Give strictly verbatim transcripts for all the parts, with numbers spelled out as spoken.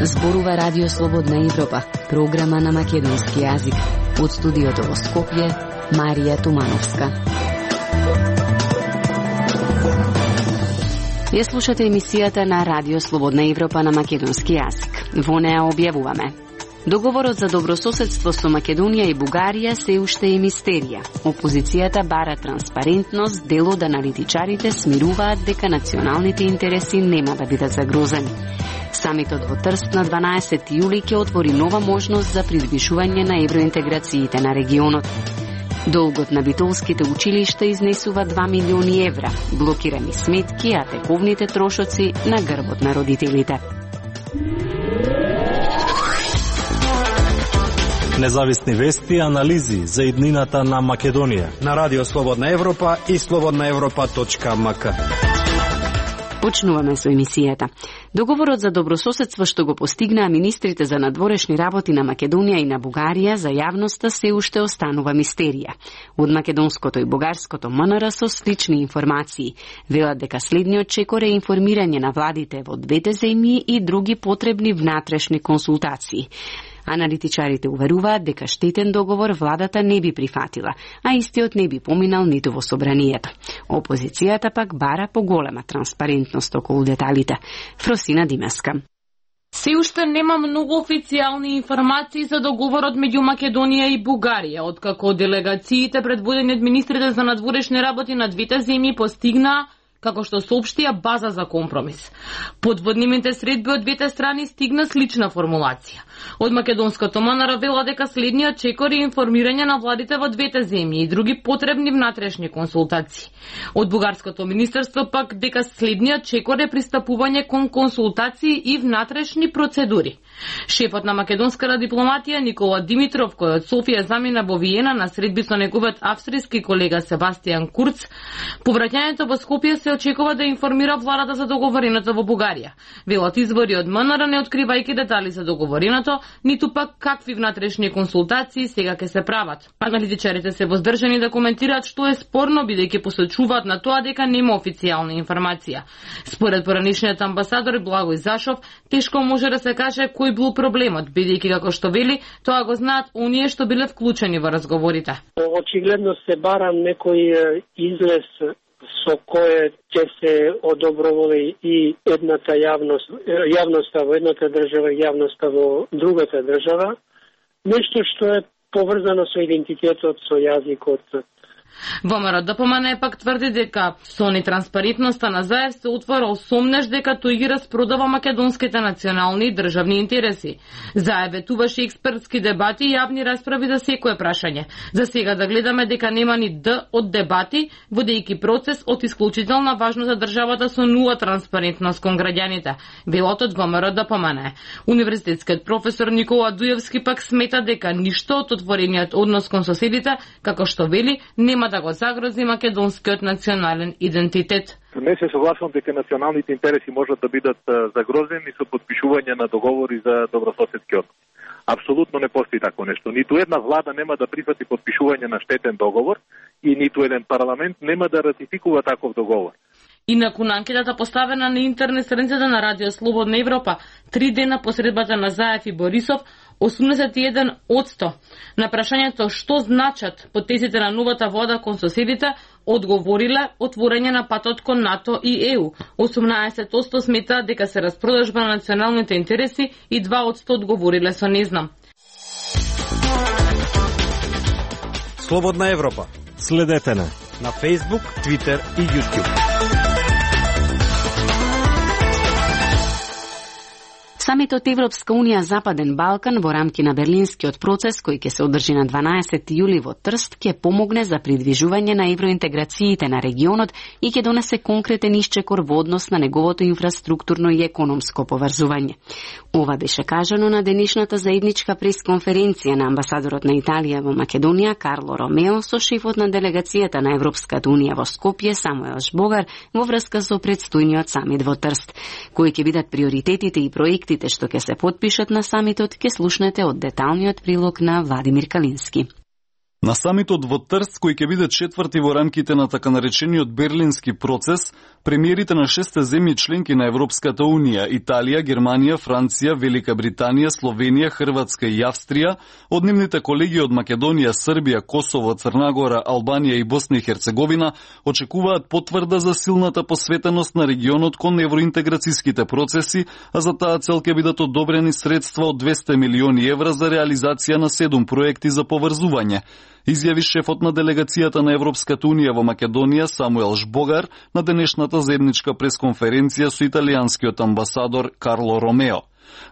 Зборува Радио Слободна Европа, програма на македонски јазик. Од студиото во Скопје, Марија Тумановска. Ја слушате емисијата на Радио Слободна Европа на македонски јазик. Во неа објавуваме: договорот за добрососедство со Македонија и Бугарија се уште е мистерија. Опозицијата бара транспарентност, дел од аналитичарите смируваат дека националните интереси нема да бидат загрозени. Самитот во Трст на дванаесети јули ќе отвори нова можност за приближување на евроинтеграциите на регионот. Долгот на битолските училишта изнесува два милиони евра, блокирани сметки, а тековните трошоци на грбот на родителите. Независни вести и анализи за иднината на Македонија на Радио Слободна Европа и слободна европа точка ем ка. Почнуваме со емисијата. Договорот за добрососедство што го постигнаа министрите за надворешни работи на Македонија и на Бугарија за јавноста се уште останува мистерија. Од македонското и бугарското ем ен ер со слични информации велат дека следниот чекор е информирање на владите во двете земји и други потребни внатрешни консултации. Аналитичарите уверуваат дека штетен договор владата не би прифатила, а истиот не би поминал ниту во собранието. Опозицијата пак бара поголема транспарентност околу деталите. Фросина Димеска. Се уште нема многу официјални информации за договорот меѓу Македонија и Бугарија, откако делегациите предводени од министрите за надворешни работи на двете земји постигнаа, како што соопштија, база за компромис. Под воднимите средби од двете страни стигна слична формулација. Од македонското ем ен ер вела дека следниот чекор е информирање на владите во двете земји и други потребни внатрешни консултации. Од бугарското министерство пак дека следниот чекор е пристапување кон консултации и внатрешни процедури. Шефот на македонската дипломатија Никола Димитров, кој од Софија замина во Виена на средби со неговиот австријски колега Себастијан Курц, по враќањето во Скопје се очекува да информира владата за договореното во Бугарија. Велат извори од ем ен ер, не откривајќи детали за договореното, ниту пак какви внатрешни консултации сега ќе се прават. Аналитичарите се воздржани да коментираат што е спорно, бидејќи посочуваат на тоа дека нема официјална информација. Според поранишниот амбасадор Благој Зашов, тешко може да се каже кој бил проблемот, бидејќи како што вели, тоа го знаат оние што биле вклучени во разговорите. Очигледно се бара некој излез со кое ќе се одоброволи и едната јавност, јавноста во едната држава и јавноста во другата држава, нешто што е поврзано со идентитетот, со јазикот. ВМРО ДПМН пак тврди дека со нетранспарентноста на Заев се отворил сомнеш дека тој ги распродава македонските национални и државни интереси. Заев ветуваше експертски дебати и јавни расправи за секое прашање. За сега да гледаме дека нема ни Д од дебати, водејќи процес од исклучителна важност за државата со нула транспарентност кон граѓаните, велот од ВМРО ДПМН. Универзитетскиот професор Никола Дуевски пак смета дека ништо од отворениот однос кон соседите, како што вели, нема да го загрози македонскиот национален идентитет. Не се согласувам дека националните интереси можат да бидат загрозени со подпишување на договори за добрососедски однос. Апсолутно не постои такво нешто. Ниту една влада нема да прифати подпишување на штетен договор и ниту еден парламент нема да ратификува таков договор. Инаку на анкетата поставена на интернет страницата на Радио Слободна Европа, три дена по средбата на Заев и Борисов, осумдесет и еден одсто на прашањето што значат потезите на новата влада кон соседите, одговориле отворање на патот кон НАТО и Е У. осумнаесет одсто сметаат дека се распродажба на националните интереси и два одсто одговориле со не знам. Слободна Европа. Следете на на Facebook, Twitter и YouTube. Самитот Европска Унија Западен Балкан во рамки на Берлинскиот процес, кој ќе се одржи на дванаесети јули во Трст, ќе помогне за придвижување на евроинтеграциите на регионот и ќе донесе конкретен исчекор во однос на неговото инфраструктурно и економско поврзување. Ова беше кажано на денешната заедничка пресконференција на амбасадорот на Италија во Македонија Карло Ромео со шефот на делегацијата на Европската Унија во Скопје Самуел Жбогар во врска со предстојниот самит во Трст. Кои ќе бидат приоритетите и проекти што ќе се потпишат на самитот, ќе слушнете од деталниот прилог на Владимир Калински. На самитот во Трст, кој ќе биде четврти во рамките на така наречениот Берлински процес, премиерите на шесте земји членки на Европската Унија, Италија, Германија, Франција, Велика Британија, Словенија, Хрватска и Австрија, од нивните колеги од Македонија, Србија, Косово, Црна Гора, Албанија и Босна и Херцеговина очекуваат потврда за силната посветеност на регионот кон евроинтеграцијските процеси, а за таа цел ќе бидат одобрени средства од двесте милиони евра за реализација на седум проекти за поврзување, изјави шефот на делегацијата на Европската Унија во Македонија Самуел Жбогар на денешната заедничка пресконференција со италијанскиот амбасадор Карло Ромео.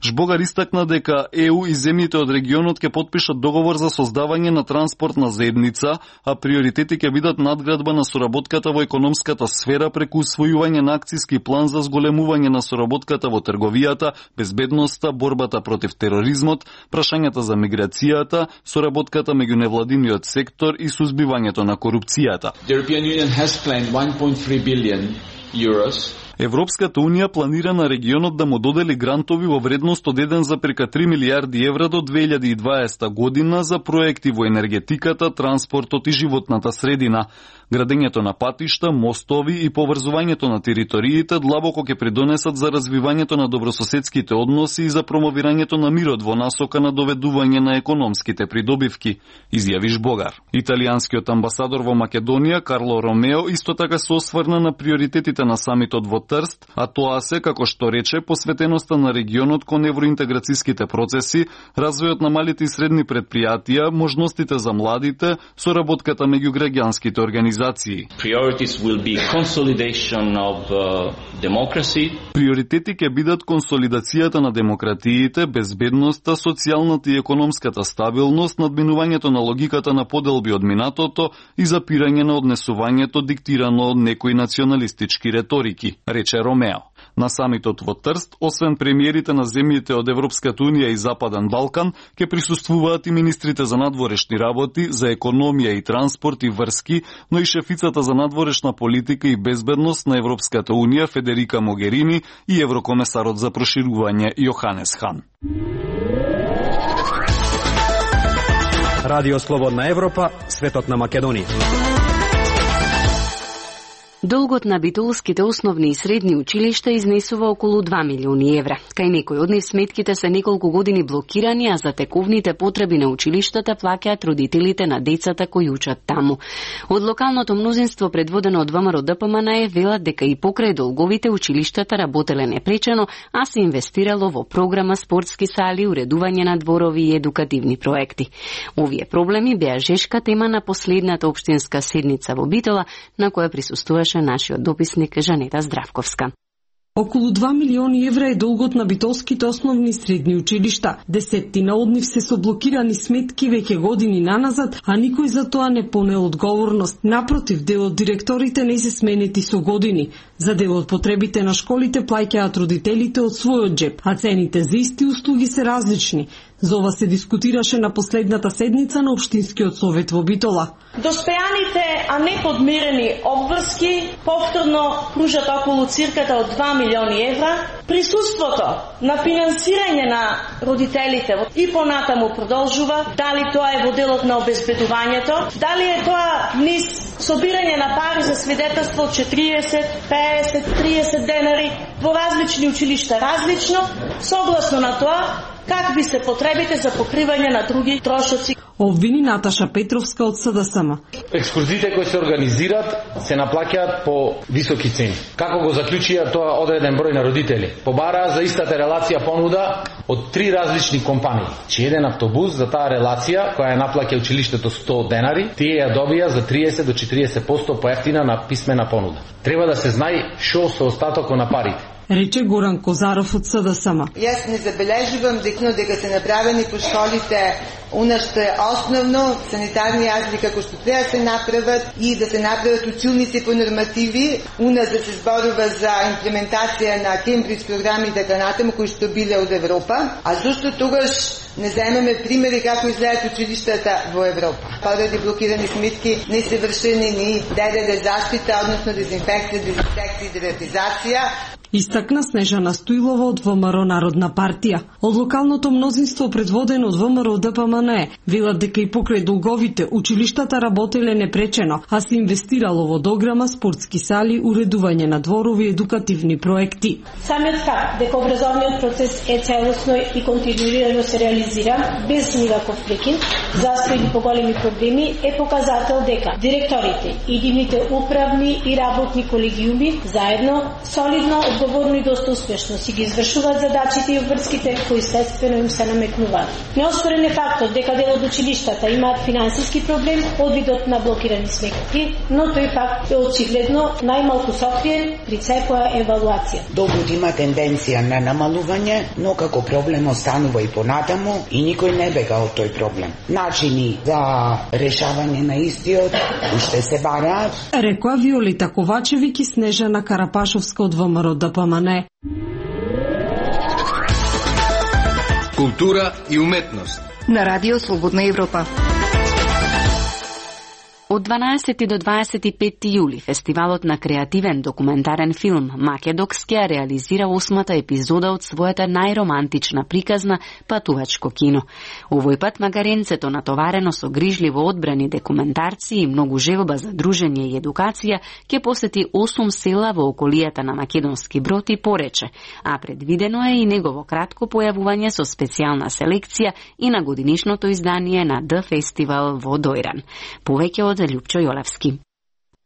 Жбогар истакна дека Е У и земјите од регионот ќе потпишат договор за создавање на транспортна заедница, а приоритети ќе бидат надградба на соработката во економската сфера преку усвојување на акцијски план за зголемување на соработката во трговијата, безбедноста, борбата против тероризмот, прашањата за миграцијата, соработката меѓу невладиниот сектор и сузбивањето на корупцијата. The European Union has planned one point three billion euros Европската Унија планира на регионот да му додели грантови во вредност од еден зарез три милијарди евра до две илјади и дваесета година за проекти во енергетиката, транспортот и животната средина. Градењето на патишта, мостови и поврзувањето на териториите длабоко ќе придонесат за развивањето на добрососедските односи и за промовирањето на мирот во насока на доведување на економските придобивки, изјави Жбогар. Италијанскиот амбасадор во Македонија Карло Ромео исто така се осврна на приоритетите на самитот во Трст, а тоа се, како што рече, посветеноста на регионот кон евроинтеграцијските процеси, развојот на малите и средни предпријатија, можностите за младите, соработката меѓу граѓанските организации. Priorities will be consolidation of uh, democracy. Приоритети ќе бидат консолидацијата на демократиите, безбедноста, социјалната и економската стабилност, надминувањето на логиката на поделби од минатото и запирање на однесувањето диктирано од некои националистички реторики, рече Ромео. На самитот во Трст, освен премиерите на земјите од Европската Унија и Западен Балкан, ќе присуствуваат и министрите за надворешни работи, за економија и транспорт и врски, но и шефицата за надворешна политика и безбедност на Европската Унија Федерика Могерини и еврокомесарот за проширување Јоханес Хан. Радио Слободна Европа, светот на Македонија. Долгот на битолските основни и средни училишта изнесува околу два милиони евра. Кај некои од нив сметките се неколку години блокирани, а за тековните потреби на училиштата плаќаат родителите на децата кои учат таму. Од локалното мнозинство предводено од ВМРО Д П М Н е велат дека и покрај долговите училиштата работеле непречено, а се инвестирало во програма, спортски сали, уредување на дворови и едукативни проекти. Овие проблеми беа жешка тема на последната општинска седница во Битола, на која присуствуваше нашиот дописник Жанета Здравковска. Околу два милиони евра е долгот на битолските основни и средни училишта. Десеттина од нив се со блокирани сметки веќе години наназад, а никој за тоа не понел одговорност. Напротив, дел од директорите не се сменети со години. За дел од потребите на школите плаќаат родителите од својот джеп, а цените за исти услуги се различни. За ова се дискутираше на последната седница на Општинскиот совет во Битола. Достојаните, а не подмирени обврски повторно кружат околу цирката од два милиони евра. Присуството на финансирање на родителите и понатаму продолжува. Дали тоа е во делот на обезбедувањето, дали е тоа низ собирање на пари за свидетелство од четириесет, песет, триесет денари во различни училишта различно, согласно на тоа какви се потребите за покривање на други трошоци. Обвини Наташа Петровска од С Д С М. Екскурзиите кои се организираат се наплаќаат по високи цени. Како го заклучија тоа одреден број на родители? Побараа за истата релација понуда од три различни компании. Че еден автобус за таа релација која ја наплаќа училиштето сто денари, тие ја добија за триесет до четириесет проценти поевтина на писмена понуда. Треба да се знае што со остатокот на парите, рече Горан Козаров од С Д С М. Јас не забележувам дека дека се направени по школите она што е основно, санитарни јазди како што треба се направат и да се направат училници по нормативи, уна да се зборува за имплементација на Кембридж програми и така натаму кои што биле од Европа, а зашто тогаш не земеме примери како изгледаат училиштата во Европа. Поради блокирани сметки не се вршени ни ДДД заштита, односно дезинфекција, дезинсекција и дератизација. Истакна Снежана Стоилова од ВМРО Народна партија. Од локалното мнозинство предводено од ВМРО Д П М Н велат дека и покрај долговите училиштата работеле непречено, а се инвестирало во дограма, спортски сали, уредување на дворови, едукативни проекти. Самиот факт дека образовниот процес е целосно и континуирано се реализира без никаков прекин, застој или поголеми проблеми, е показател дека директорите и нивните управни и работни колегиуми заедно, солидно, одговорно и доста успешно си ги извршуваат задачите и обврските кои следствено им се наметнуваат. Неоспорен е фактот дека дел од училиштата имаат финансиски проблем од видот на блокирани сметки, но тој факт е очигледно најмалку сокриен при секоја евалуација. Долгот има тенденција на намалување, но како проблем останува и понатаму и никој не бега од тој проблем. Начини за решавање на истиот уште се бараат, рекоа Виолета Ковачевиќ и Снежана Карапашовска од ВМРО Д П М Н. Култура и уметност на Радио Слободна Европа. Од дванаесети до дваесет и петти јули фестивалот на креативен документарен филм Македокс ќе реализира осмата епизода од својата најромантична приказна Патувачко кино. Овој пат магаренцето, натоварено со грижливо одбрани документарци и многу желба за дружење и едукација, ќе посети осум села во околијата на Македонски Брод и Порече, а предвидено е и негово кратко појавување со специјална селекција и на годинишното издание на Д Фестивал во Дојран. Повеќе од Љупчо Јолевски.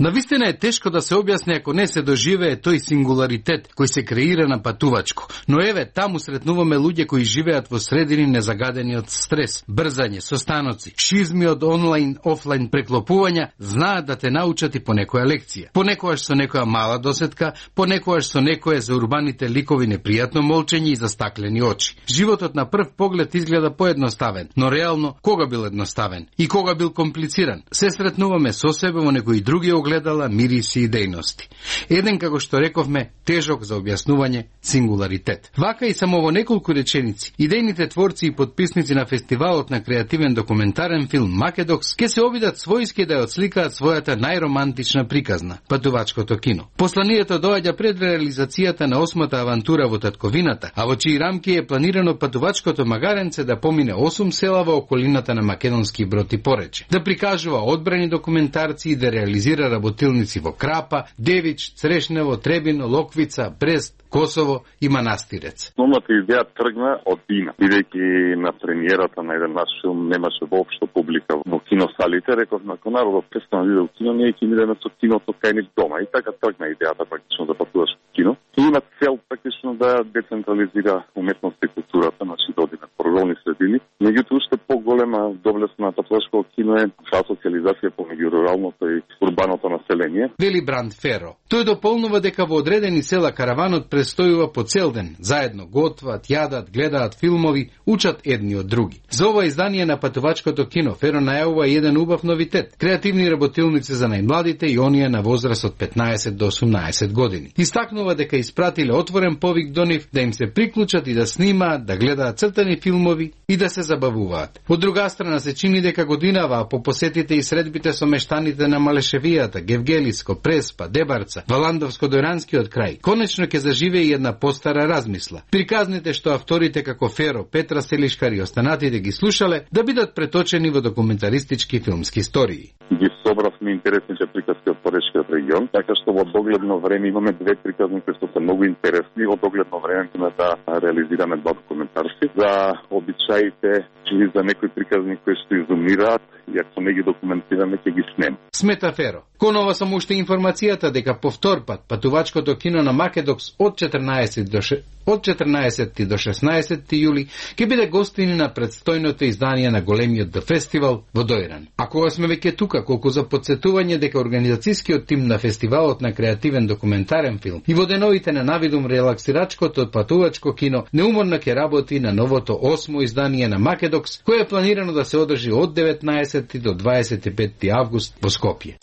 Навистина е тешко да се објасни ако не се доживее тој сингуларитет кој се креира на Патувачко. Но еве, таму сретнуваме луѓе кои живеат во средини незагадени од стрес, брзање, состаноци, шизми од онлайн, офлайн преклопувања, знаат да те научат и по некоја лекција. Понекогаш со некоја мала досетка, понекогаш со некое за урбаните ликови непријатно молчење и застаклени очи. Животот на прв поглед изгледа поедноставен, но реално кога бил едноставен и кога бил комплициран? Се сретнуваме со себе во некои други огледала, мириси и дејности. Еден, како што рековме, тежок за објаснување сингуларитет. Вака и само во неколку реченици, идејните творци и подписници на фестивалот на креативен документарен филм Македокс ке се обидат својски да ја отсликаат својата најромантична приказна, Патувачкото кино. Посланието доаѓа пред реализацијата на осмата авантура во татковината, а во чии рамки е планирано Патувачкото магаренце да помине осум села во околината на Македонски Брод и Порече, да прикажува одбрани документарци и да реализира работилници во Крапа, Девич, Црешнево, Требино, Локвица, Брест, Косово и Манастирец. Основната идеја тргна од Дина. Бидејќи на премиерата на еден наш филм немаше воопшто публика во киносалите, реков на народот престана да иде во кино, ние ќе идеме со киното кај нив дома. И така тргна идејата практично за Патувачко кино. И има цел практично да децентрализира уметноста и културата, значи да оди на рурални средини. Меѓутоа уште поголема доблест на Патувачко кино е социализација помеѓу руралното и урбаното население. Вели Бранд Феро. Тој дополнува дека во одредени села караванот престојува по цел ден, заедно готват, јадат, гледаат филмови, учат едни од други. За ова издание на Патувачкото кино Феро најавува еден убав новитет: креативни работилници за најмладите и оние на возраст од петнаесет до осумнаесет години. Истакнува дека испратиле отворен повик до нив да им се приклучат и да снимаат, да гледаат цртани филмови и да се забавуваат. Од друга страна се чини дека годинава по посетите и средбите со мештаните на Малешевијата, Гевгелиско, Преспа, Дебарца, Валандовско-Дојранскиот крај, конечно ќе заживее и една постара размисла. Приказните што авторите како Феро, Петра Селишкар и останатите ги слушале да бидат преточени во документаристички филмски истории. Ги собравме интересните приказки од Порешкиот регион, така што во догледно време имаме две приказни кои што се многу интересни. Во догледно време ќе да реализираме два документарски за обичаите или за некои приказни кои што изумираат и ако не ги документираме ќе ги снем. Смета Феро. Конова само уште информацијата дека повтор пат Патувачкото кино на Македокс од четрнаесет до од четрнаесети до шеснаесети јули ќе биде гостини на предстојното издание на големиот Д Фестивал во Дојран. А кога сме веќе тука, колку за подсетување дека организацијскиот тим на фестивалот на креативен документарен филм и во деновите на навидум релаксирачкото Патувачко кино неуморно ќе работи на новото осмо издание на Македокс, кое е планирано да се одржи од деветнаесети до дваесет и петти август во Скопје.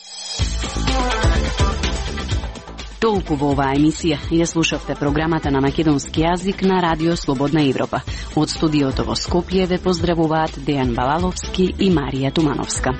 Толку во оваа емисија. Ја слушавте програмата на македонски јазик на Радио Слободна Европа. Од студиото во Скопје ве поздравуваат Дејан Балаловски и Марија Тумановска.